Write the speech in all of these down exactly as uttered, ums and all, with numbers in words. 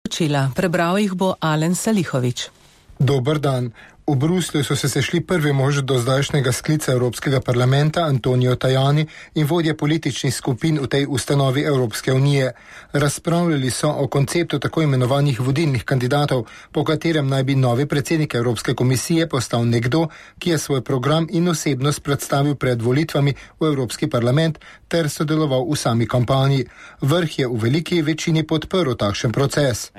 Čila. Prebral jih bo Alen Salihović. Dober dan. V Bruslju so se sešli prvi mož do zdajšnjega sklica Evropskega parlamenta Antonio Tajani in vodje političnih skupin v tej ustanovi Evropske unije. Razpravljali so o konceptu tako imenovanih vodilnih kandidatov, po katerem naj bi novi predsednik Evropske komisije postal nekdo, ki je svoj program in osebnost predstavil pred volitvami v Evropski parlament ter sodeloval v sami kampanji. Vrh je v veliki večini podprl takšen proces.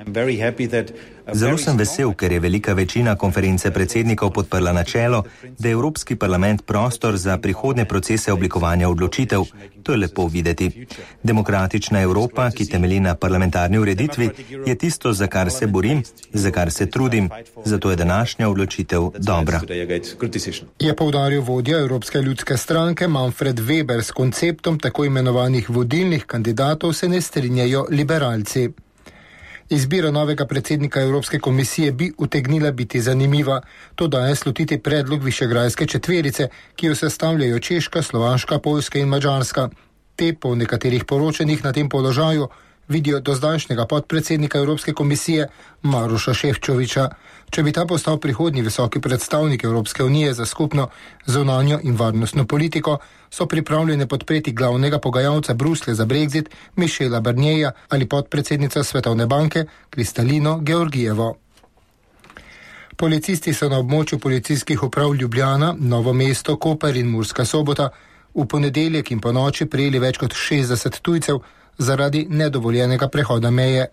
Zelo sem vesel, ker je velika večina konference predsednikov podprla načelo, da je Evropski parlament prostor za prihodne procese oblikovanja odločitev. To je lepo videti. Demokratična Evropa, ki temelji na parlamentarni ureditvi, je tisto, za kar se borim, za kar se trudim. Zato je današnja odločitev dobra. Je poudaril vodja Evropske ljudske stranke Manfred Weber. S konceptom tako imenovanih vodilnih kandidatov se ne strinjajo liberalci. Izbira novega predsednika Evropske komisije bi utegnila biti zanimiva. To daje slutiti predlog Višegrajske četverice, ki jo sestavljajo Češka, Slovaška, Poljska in Madžarska. Te po nekaterih poročanjih na tem položaju vidijo dozdajšnjega podpredsednika Evropske komisije Maroša Šefčoviča. Če bi ta postal prihodnji visoki predstavnik Evropske unije za skupno zunanjo in varnostno politiko, so pripravljene podpreti glavnega pogajalca Bruslja za Brexit Michela Barnierja ali podpredsednica Svetovne banke Kristalino Georgijevo. Policisti so na območju policijskih uprav Ljubljana, Novo mesto, Koper in Murska Sobota v ponedeljek in ponoči prijeli več kot šestdeset tujcev zaradi nedovoljenega prehoda meje.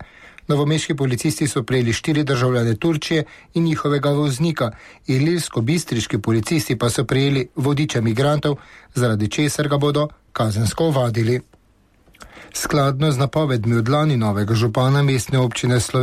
Novomeški policisti so prejeli štiri državljane Turčije in njihovega voznika, ilirsko-bistriški policisti pa so prejeli vodiča migrantov, zaradi česar ga bodo kazensko ovadili. Skladno z napovedmi od lani novega župana mestne občine Slovenije